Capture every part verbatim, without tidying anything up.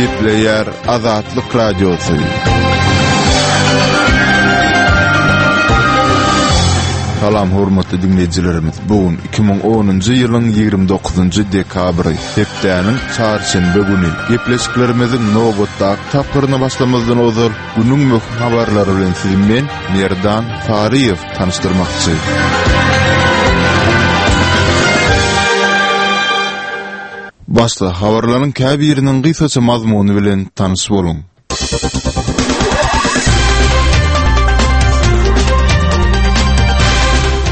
Gepleýär Azatlyk Radiosy. Salam hormatly diňleýjilerimiz. Bu gün iki müň onunjy ýylyň ýigrimi dokuzynjy dekabry, hepdäniň çarşenbe güni. Gepleşiklerimiziň nobatdaky tapgyryna başlamazdan ozal, günüň möhüm habarlary bilen sizi men, Merdan Saryýew tanyşdyrmakçy. Başda habarlaryň käbiriniň gysgaça mazmuny bilen tanyş boluň.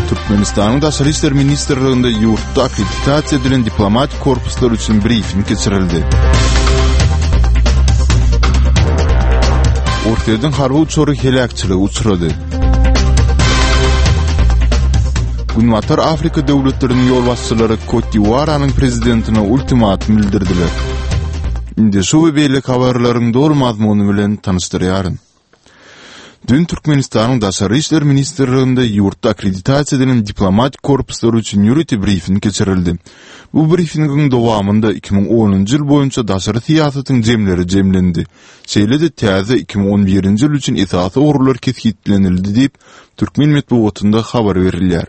Türkmenistanyň Daşary işler ministrliginde ýurtda akkreditasiýa edilen diplomatik korpuslar üçin brifing geçirildi. Orsýetiň harby uçary heläkçilige uçrady. Günbatar Afrika döwletleriniň ýolbaşçylary Kot-d'Iwuaranyň prezidentine ultimatum bildirdiler. Indi şu we beýleki habarlaryň doly mazmuny bilen tanyşdyrýaryn. Dün Türkmenistanyň Daşary işler ministrliginde ýurtda akkreditasiýa edilen diplomatik korpuslar üçin ýörite brifing geçirildi. Bu brifingiň dowamynda iki müň onunjy ýyl boýunça daşary syýasatyň jemleri jemlendi. Şeýle-de täze iki müň on birinji ýyl üçin esasy ugurlar kesgitlenildi diýip, türkmen metbugatynda habar berilýär.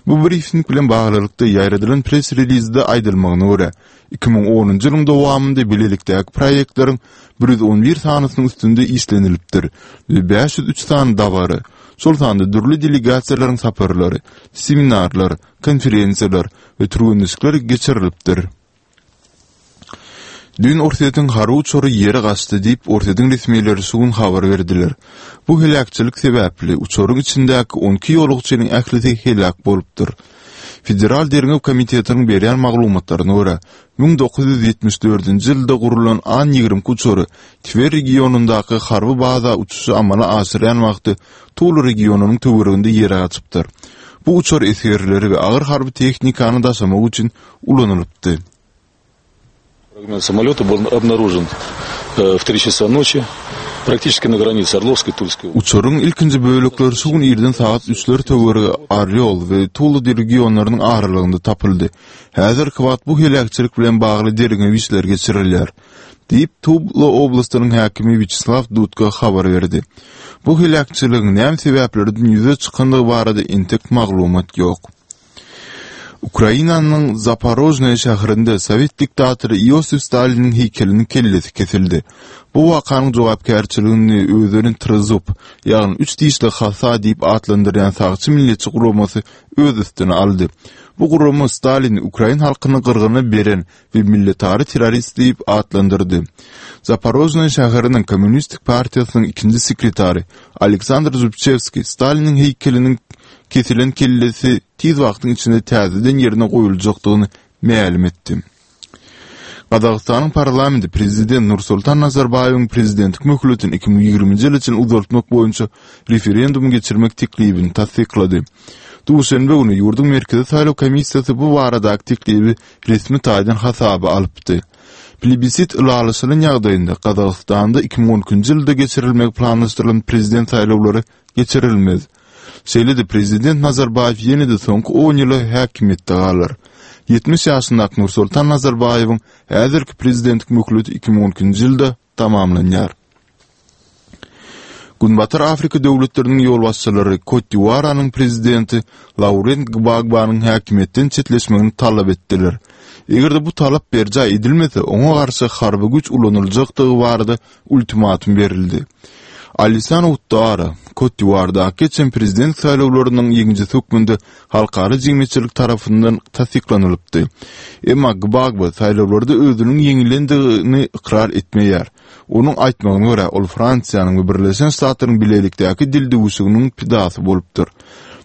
Bu brifing bilen baglylykda ýaýradylan press-relizde aýdylmagyna görä, iki müň onunjy ýylyň dowamynda bilelikdäki proýektleriň bir ýüz on bir sanysynyň üstünde işlenilipdir we bäş ýüz üç sany dabara, şol sanda dürli delegasiýalaryň saparlary, seminarlar, konferensiýalar we türgenleşikler geçirilipdir. Düýn Orsýetiň harby uçary ýere gaçdy diýip, Orsýetiň resmileri şu gün habar berdiler. Bu heläkçilik sebäpli uçaryň içindäki on iki ýolagçynyň ählisi heläk bolupdyr. Federal derňew komitetiniň berýän maglumatlaryna görä, müň dokuz ýüz ýetmiş dördünji ýylda gurlan An ýigrimi iki uçary Twer regionyndaky harby baza uçuşy amala aşyrýan wagty Tula regionynyň töwereginde ýere gaçypdyr. Bu uçar esgerleri we agyr harby tehnikany daşamak üçin ulanylypdy. Fragment samolýota был obnarужен w tri çasa noçi, praktiçeski na granice Orlowskoý, Tulskoý. Uçaryň ilkinji bölekleri şu gün irden sagat üçler töweregi Orýol we Tula regionlarynyň aralygynda tapyldy. Häzirki wagt bu heläkçilik bilen bagly derňew işleri geçirilýär, diýip, Tula oblastynyň häkimi Wýaçeslaw Dudka habar berdi. Bu heläkçiligiň näme sebäplerden ýüze çykandygy barada entek maglumat ýok. Ukrainanyň Zaporožnoýe şäherinde sowet diktatory Iosif Staliniň heýkeliniň kellesi kesildi. Bu wakanyň jogapkärçiligini özlerini Trezub, ýagny üç dişli hasa diýip atlandyrýan sagçy milletçi guramasy öz üstüne aldy. Bu gurama Stalini ukrain halkyny gyrgyna beren we milletara terrorist diýip atlandyrdy. Zaporožnoýe şäheriniň Kommunistik partiýasynyň ikinji sekretary Aleksandr Zubçewskiý Staliniň heýkeliniň kesilen kellesi tiz wagtyň içinde täzeden ýerine goýuljakdygyny mälim etdi. Gazagystanyň parlamenti prezident Nursultan Nazarbaýewiň prezidentlik möhletini iki müň ýigriminji ýyla çenli uzaltmak boýunça referendum geçirmek teklibini tassyklady. Duşenbe güni ýurduň Merkezi saýlaw komissiýasy bu baradaky teklibi resmi taýdan hasaba alypdy. Plebisit ylalaşylan ýagdaýynda Gazagystanda iki müň on ikinji ýylda geçirilmegi planlaşdyrylan prezident saýlawlary geçirilmez. Şeýle-de prezident Nazarbaýew ýene-de soňky on ýyla häkimiýetde galar. Ýetmiş ýaşyndaky Nursultan Nazarbaýewiň häzirki prezidentlik möhleti iki müň on ikinji ýylda tamamlanýar. Günbatar Afrika döwletleriniň ýolbaşçylary Kot-d'Iwuaranyň prezidenti Laurent Gbagbanyň häkimiýetden çetleşmegini talap etdiler. Eger-de bu talap berjaý edilmese, oňa garşy harby güýç ulanyljakdygy barada ultimatum berildi. Alisan Ouattara, Kot-d'Iwuardaky geçen prezident saýlawlarynyň ýeňijisi hökmünde halkara jemgyýetçilik tarapyndan tassyklanylypdy. Emma Gbagbo saýlawlarda özüniň ýeňilendigini ykrar etmeýär. Onuň aýtmagyna görä, ol Fransiýanyň we Birleşen Ştatlaryň bilelikdäki dildüwüşiginiň pidasy bolupdyr.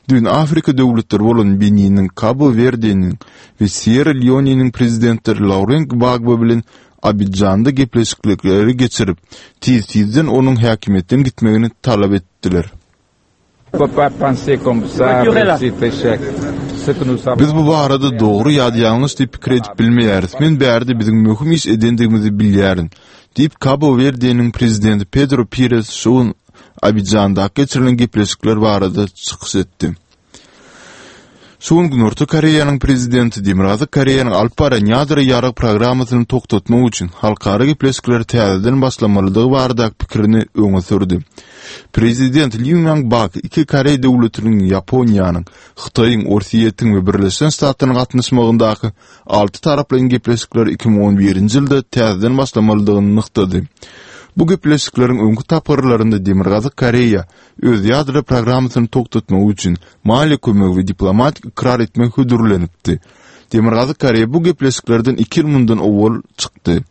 Düýn Afrika döwletleri bolan Beniniň, Kabo-Werdeniň we Sýerra-Leoneniň prezidentleri Laurent Gbagbo bilen Abidjanda gepleşikleri geçirip, tiz-tizden onuň häkimiýetden gitmegini talap etdiler. Biz bu barada dogry ýa-da ýalňyş diýip pikir edip bilmeýäris. Men bärde biziň möhüm iş edendigimizi bilýärin, diýip, Kabo-Werdeniň prezidenti Pedro Pires şu gün Abidjandaky geçirilen gepleşikler barada çykyş etdi. Şu gün Günorta Koreýanyň prezidenti Demirgazyk Koreýanyň alyp barýan ýadro ýarag programmasyny togtatmak üçin halkara gepleşikleri täzeden başlamalydygy baradaky pikirini öňe sürdi. Prezident Lee Myung-bak iki koreý döwletiniň Ýaponiýanyň, Hytaýyň, Orsýetiň we Birleşen Ştatlaryň gatnaşmagyndaky alty taraplaýyn gepleşikleri iki müň on birinji ýylda täzeden başlamalydygyny nygtady. Bu gepleşikleriň öňki tapgyrlarynda Demirgazyk Koreýa öz ýadro programmasyny togtatmagy üçin maliýe kömegi we diplomatik ykrar etmek hödürlenipdi. Demirgazyk Koreýa bu gepleşiklerden iki ýyl mundan owal çykdy.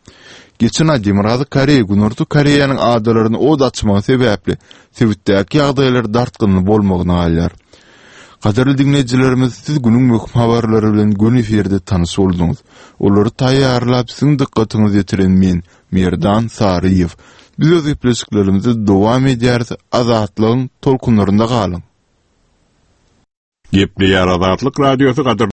Geçen aý Demirgazyk Koreýa Günorta Koreýanyň adalaryny od açmagy sebäpli sebitdäki ýagdaýlar dartgynly bolmagyna galýar. Gadyrly diňleýjilerimiz, siz günüň möhüm habarlary bilen göni efirde tanyş bolduňyz. Olary taýýarlap, siziň dykgatyňyza ýetiren men, Merdan Saryýew. Biz öz gepleşiklerimizi dowam edýäris, Azatlygyň tolkunlarynda galyň. Gepleýär Azatlyk Radiosy gadyrly